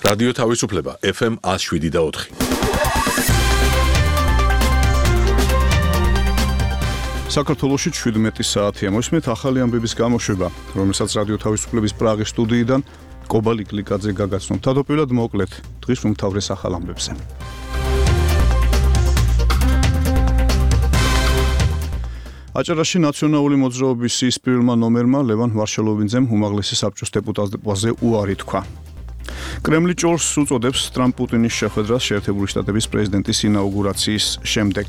რადიო თავისუფლება FM 107.4. საქართველოში 17 საათია მოსმით ახალი ამბების გამოშვება, რომელსაც რადიო თავისუფლების პრაღის სტუდიიდან კობალი კლიკაძე გაგაცნობთ. თავდაპირველად მოკლედ დღის უმთავრეს ახალ ამბებზე. აჭარაში ნაციონალური მოძრაობის სიის პირველმა ნომერმა ლევან ვარშალოვიძემ უმაღლესი საბჭოს დეპუტატობაზე უარი თქვა. კრემლი ჭორს უწოდებს ტრამპ-პუტინის შეხვედრას შეერთებული შტატების პრეზიდენტის ინაუგურაციის შემდეგ.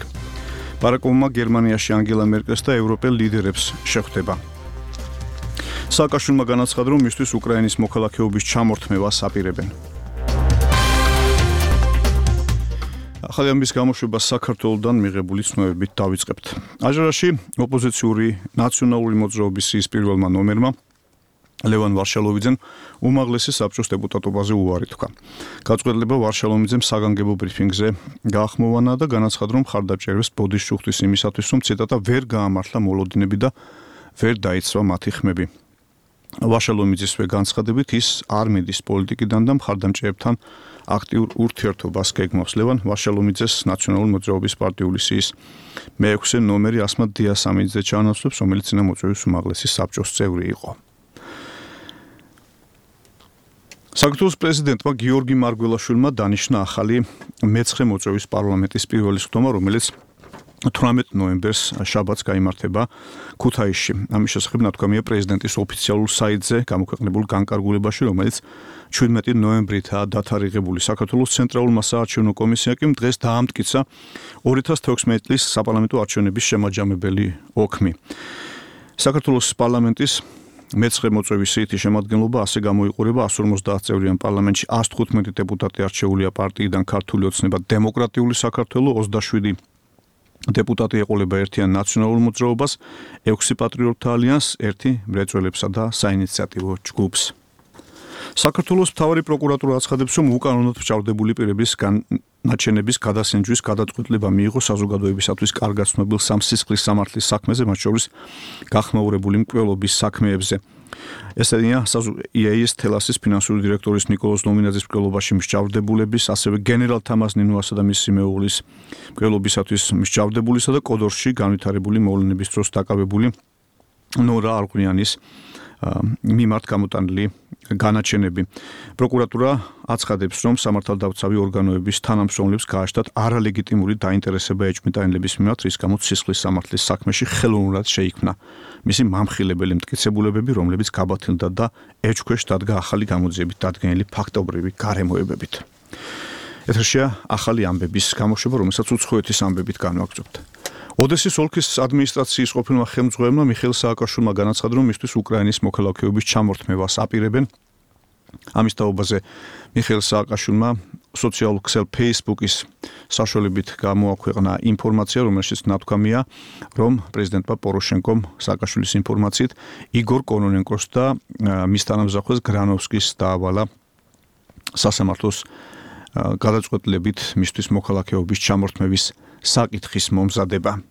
ბარაკ-ობამა გერმანიაში ანგელა მერკელს და ევროპელ ლიდერებს შეხვდება. სააკაშვილმა განაცხადა, რომ მისთვის უკრაინის მოქალაქეობის ჩამორთმევას აპირებენ. ახალი ამბების გამოშვება საქართველოდან მიღებული ცნობებით დავიწყებთ. აჭარაში ოპოზიციური ნაციონალური მოძრაობის სიის პირველმა ნომერმა ლევან ვარშალოვიძემ უმაღლესი საბჭოს დეპუტატობაზე უარი თქვა. გაწყვეტილება ვარშალოვიძემ საგანგებო ბრიფინგზე გაახმოვანა და განაცხადა, რომ მხარდაჭერებს ბოდიშჩუხტის იმისათვის, რომ ციტატა ვერ გაამართლა მოლოდინები და ვერ დაიცვა მათი ხმები. ვარშალოვიძისვე განცხადებით ის არ მიდის პოლიტიკიდან და მხარდამჭერებთან აქტიურ ურთიერთობას გეგმავს. ლევან ვარშალოვიძეს ნაციონალური მოძრაობის პარტიული სიის მეექვსე ნომერი ასმად დიასამიძე ჩაანაცვლებს, რომელიც წინამოწვევის უმაღლესი საბჭოს წევრი იყო. საქართველოს პრეზიდენტმა გიორგი მარგველაშვილმა დანიშნა ახალი მეცხრე მოწვევის პარლამენტის პირველი სხდომა, რომელიც 18 ნოემბერს შაბათს გაიმართება ქუთაისში. ამის შესახებ ნათქვამია პრეზიდენტის ოფიციალურ საიტზე გამოქვეყნებულ განკარგულებაში, რომელიც 17 ნოემბრითაა დათარიღებული. საქართველოს ცენტრალურმა საარჩევნო კომისიამ კი დღეს დაამტკიცა 2016 წლის საპარლამენტო არჩევნების შემაჯამებელი ოქმი. საქართველოს პარლამენტის მეცხრე მოწვევის სიითი შემადგენლობა ასე გამოიყურება 150 წევრიან პარლამენტში 115 დეპუტატი არჩეულია პარტიიდან ქართული ოცნება დემოკრატიული საქართველო, 27 დეპუტატი ეყოლება ერთიან ნაციონალურ მოძრაობას, 6 პატრიოტთა ალიანსს, 1 მრეწველებსა და საინიციატივო ჯგუფს. საქართველოს მთავარი პროკურატურა აცხადებს, რომ უკანონოდ ფჭარდებული პირების განაჩენების გადასინჯვის გადაწყვეტილება მიიღო საზოგადოებისათვის კარგად ცნობილ სამსისხლის სამართლის საქმეზე, მათ შორის გახმაურებული მკვლელობის საქმეებზე. ესენია EAS თელასის ფინანსური დირექტორის ნიკოლოზ ნომინაძის მკვლელობაში მსჯავრდებულების, ასევე გენერალ თამაზ ნინოასა და მისი მეუღლის მკვლელობისათვის მსჯავრდებულისა და კოდორში განვითარებული მოვლენების დროს დაკავებული ნორა არღუნიანის მიმართ გამოტანილი განაჩენები. პროკურატურა აცხადებს, რომ სამართალდამცავი ორგანოების თანამშრომლებს გააჩნდათ არალეგიტიმური დაინტერესება ეჭვმიტანილების მიმართ, რის გამოც სისხლის სამართლის საქმეში ხელოვნურად შეიქმნა მისი მამხილებელი მტკიცებულებები, რომლებიც გაბათილდა და ეჭვქვეშ დადგა ახალი გამოძიებით დადგენილი ფაქტობრივი გარემოებებით. ეთერშია ახალი ამბების გამოშვება, რომელსაც უცხოეთის ამბებით განვაგრძობთ. ოდესის ოლქის ადმინისტრაციის ყოფილმა ხელმძღვანელმა მიხეილ სააკაშვილმა განაცხადა, რომ მისთვის უკრაინის მოქალაქეობის ჩამორთმევას აპირებენ. ამის თაობაზე მიხეილ სააკაშვილმა სოციალურ ქსელ Facebook-ის საშუალებით გამოაქვეყნა ინფორმაცია, რომელშიც ნათქვამია, რომ პრეზიდენტმა პოროშენკომ სააკაშვილის ინფორმაციით იგორ კონონენკოს და მის თანამზახვეს გრანოვსკის დაავალა სასამართლოს გადაწყვეტილებით მისთვის მოქალაქეობის ჩამორთმევის საკითხის მომზადება.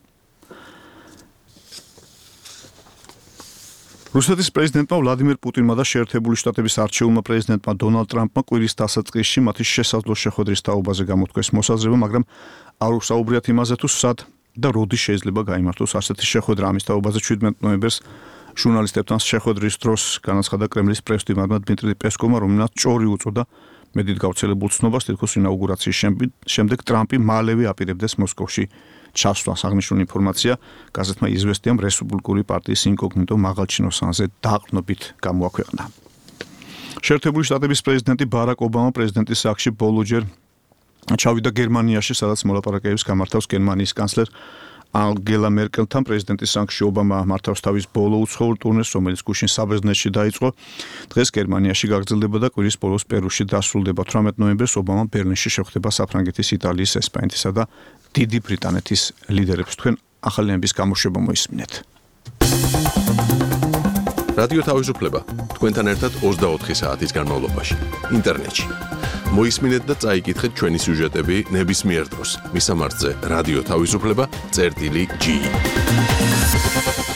რუსეთის პრეზიდენტმა ვლადიმერ პუტინმა და შეერთებული შტატების არჩეულმა პრეზიდენტმა დონალდ ტრამპმა კვირის დასაწყისში მათი შესაძლო შეხვედრის თაობაზე გამოთქვეს მოსაზრება, მაგრამ არ უსაუბრიათ იმაზე, თუ სად და როდი შეიძლება გაიმართოს ასეთი შეხვედრა. ამის თაობაზე 17 ნოემბერს ჟურნალისტებთან შეხვედრის დროს განაცხადა კრემლის პრეს-მდივანმა დმიტრი პესკოვმა, რომელმაც ჭორი უწოდა მედით გავრცელებულ ცნობას, თითქოს ინაუგურაციის შემდეგ ტრამპი მალევე აპირებდეს მოსკოვში ჩასვლას. აღნიშნული ინფორმაცია გაზეთმა იზვესტიამ რესპუბლიკური პარტიის ინკოგნიტო მაღალჩინოსანზე დაყრდნობით გამოაქვეყნა. შეერთებული შტატების პრეზიდენტი ბარაკ ობამა პრეზიდენტის სახლში ბოლოჯერ ჩავიდა გერმანიაში, სადაც მოლაპარაკებებს გამართავს გერმანიის კანცლერ ანგელა მერკელთან. პრეზიდენტის სახლში ობამა მართავს თავის ბოლო უცხოურ ტურნეს, რომელიც გუშინ საბერძნეთში დაიწყო. დღეს გერმანიაში გაგრძელდება და კვირის ბოლოს პერუში დასრულდება. 18 ნოემბერს ობამა ბერლინში შეხვდება საფრანგეთის, იტალიის, ესპანეთისა და დიდი ბრიტანეთის ლიდერებს. თქვენ ახალი ამბების გამოშვება მოისმინეთ. რადიო თავისუფლება თქვენთან ერთად 24 საათის განმავლობაში ინტერნეტში. მოისმინეთ და წაიკითხეთ ჩვენი სიუჟეტები ნებისმიერ დროს. მისამართზე რადიო თავისუფლება.ge